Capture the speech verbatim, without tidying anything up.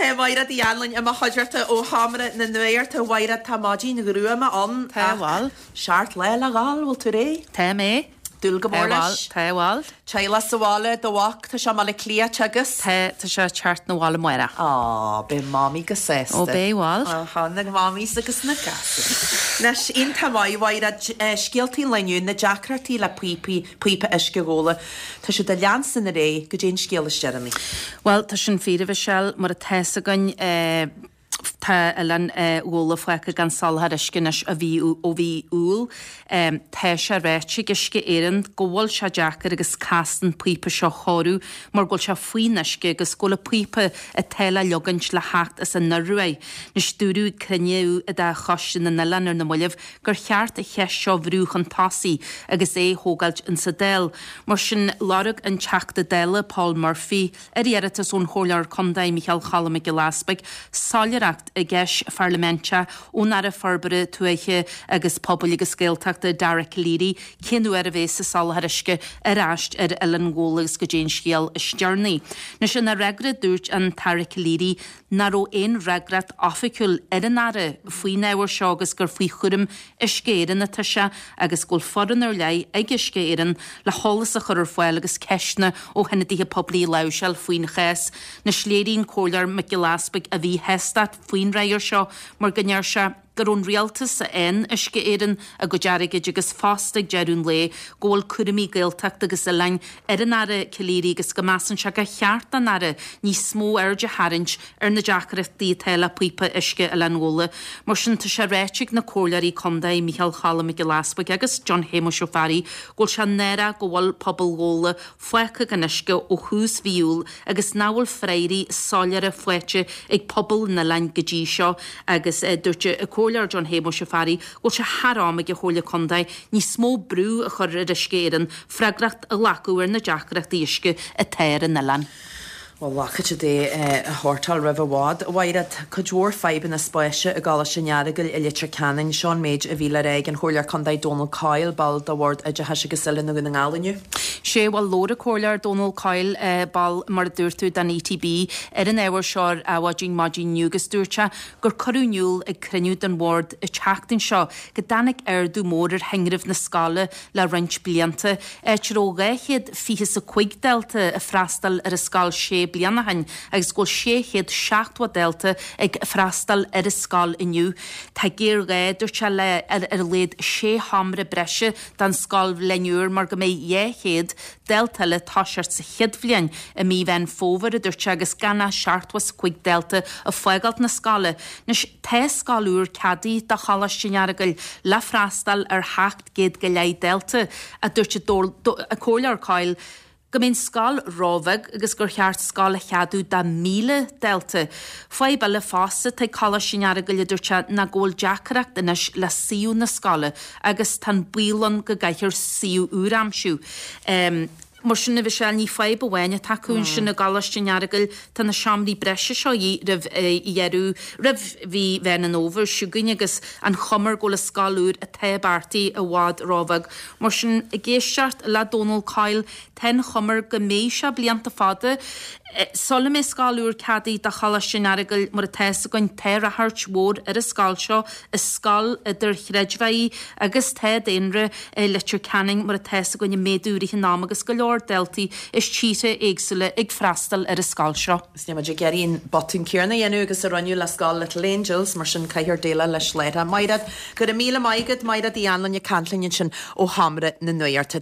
Tá Mairéad Uí Anluain i mo chuideachta ó Sheomra na Nuachta. A Mhairéad, tá maidin ghruama ann. Tá, bhuel. Seacht lá le dhul, bhfuil tú réidh? Tá mé. Dúil go mór leis. Tá, bhuel. Teaghlach sa bhaile, do mhac, tá sé i mBaile Átha Cliath agus? Tá, tá sé ag teacht 'na bhaile amárach. Á, beidh Mamaí go sásta. Ó, beidh, bhuel. Aha, na Mamaís agus na gasúir. Anois, iontach maith, a Mhairéad, scéaltaí an lae inniu, na deacrachtaí le píopaí, píopa uisce Ghabhla. Tá siad ag leanstan ar aghaidh, goidé an scéal is deireanaí. Bhuel, tá sin fíor, a Mhichelle, mar atá 'fhios againn, tá Oileán Ghabhla fágtha gan soláthar uisce anois ó mhí ó mhí Iúil. Tá sé ráite ag Uisce Éireann go bhfuil sé deacair agus casta an píopa seo a chóiriú mar go bhfuil sé faoin uisce agus go bhfuil an píopa atá le leogaint le theacht as an Ioruaidh. Anois dúradh ag cruinniú de Choiste na nOileán ar na mallaibh gur cheart an cheist seo a bhrú chun tosaigh agus é a thógáilt insa Dáil. Mar sin lorg an Teachta Dála Paul Murphy, ar iarratas ón Chomhairleoir Contae Micheál Choilm Mac Giolla Easpaig, soiléireacht i gceist pharlaiminteach ón Aire Forbartha Tuaithe agus Pobail agus Gaeltachta Dara Calleary cén uair a bheas an soláthar uisce ar ais ar Oileán Ghabhla agus goidé an scéal is deireanaí. Anois ina fhreagra dúirt an tAire Calleary nach raibh aon fhreagracht oifigiúil ar an Aire faoin ábhar seo agus gur faoi chúram Uisce Éireann atá sé agus go bhfuil foireann ar leith ag Uisce Éireann le heolas a chur ar fáil agus ceisteanna ó hionadaithe poiblí a láimhseáil faoin chás. Anois léirigh an Comhairleoir Mac Giolla Easpaig a mhíshástacht faoin fhreagra seo mar go ndeir sé gur ón rialtas a fhaigheann Uisce Éireann a gcuid airgid agus fosta ag deireadh an lae go bhfuil cúraimí Gaeltachta agus oileáin ar an Aire Calleary agus go measann sé gur cheart don Aire níos mó aird a tharraingt ar na deacrachtaí atá le píopa uisce Oileán Ghabhla. Mar sin tá sé ráite ag na Comhairleoirí Contae Micheál Choilm Mac Giolla Easpaig agus John Shéamuis Ó Fearraigh go bhfuil sé náireach go bhfuil pobal Ghabhla fágtha gan uisce ó thús mhí Iúil agus nach bhfuil freagraí soiléire faighte ag pobal an oileáin go dtí seo agus dúirt an Comhairleoir John Shéamuis Ó Fearraigh go bhfuil sé thar am ag an Chomhairle Contae níos mó brú a chur ar Uisce Éireann freagracht a ghlacadh ar na deacrachtaí uisce atá ar an oileán. Bhuel, glacfaidh siad é a shórtáil roimh i bhfad. A Mhairéad, cuid mhór fadhbanna spáis i gColáiste an Earagail i Leitir Ceanainn. Seo an méid a bhí le rá ag an Chomhairleoir Contae Dónal Coyle, ball de Bhord Oideachais agus Oiliúna Dhún na nGall inniu. Sé, bhuel, labhair an Comhairleoir Dónal Coyle, ball, mar a dúirt tú, den ETB, ar an ábhar seo ar Adhmhaidin maidin inniu agus dúirt sé gur cuireadh in iúl ag cruinniú den bhord an tseachtain seo go dtáinig ardú mór ar thinreamh na scoile le roinnt blianta, áit a raibh dhá chéad fiche is a cúig dalta ag freastal ar an scoil sé bliana ó shin agus go bhfuil sé chéad seachtó dalta ag freastal ar an scoil inniu. Tá géarghá, dúirt sé, le ar a laghad sé sheomra breise don scoilbhliain úr mar go mbeidh dhá chéad dalta eile ag toiseacht sa chéad bhliain i mí Mheán Fómhair, a dúirt sé, agus gan ach seachtó is a cúig dalta ag fágáilt na scoile. Anois, tá scoil úr ceadaithe do Choláiste an Earagail le freastal ar sheacht gcéad go leith dalta, a dúirt an Comhairleoir Coyle, go mbeidh an scoil róbheag agus gur cheart scoil a cheadú do mhíle dalta. Fadhb eile fosta atá ag Coláiste an Earagail, a dúirt sé, ná go bhfuil deacracht anois le suíomh na scoile agus tá an baol ann go gcaithfear suíomh úr a aimsiú. Mar sin, a Mhichelle, ní fadhb amháin atá acu ansin i gColáiste an Earagail, tá na seomraí breise seo a dhíth roimh dheireadh, roimh mhí Mheán an Fhómhair seo chugainn agus an chuma go bhfuil an scoil úr atá beartaithe i bhfad róbheag. Mar sin, ag éisteacht le Dónal Coyle, Tá an chuma air go mbeidh sé blianta fada sula mbeidh scoil úr ceadaithe do Choláiste an Earagail. Mar atá fhios againn, tá ráchairt mhór ar an scoil seo. Is scoil idirchreidmheach í agus tá daonra i Leitir Ceanainn, mar atá fhios againn, ag méadú i rith an ama agus go leor daltaí as tíortha éagsúla ag freastal ar an scoil seo. Is níl muid ag iarraidh an botún céanna a dhéanamh agus a rinneadh le scoil Little Angels, mar sin caithfear déileáil leis láithreach. Mairéad, go raibh míle maith agat. Mairéad Uí Anluain ag caint linn ansin ó Sheomra na Nuachta.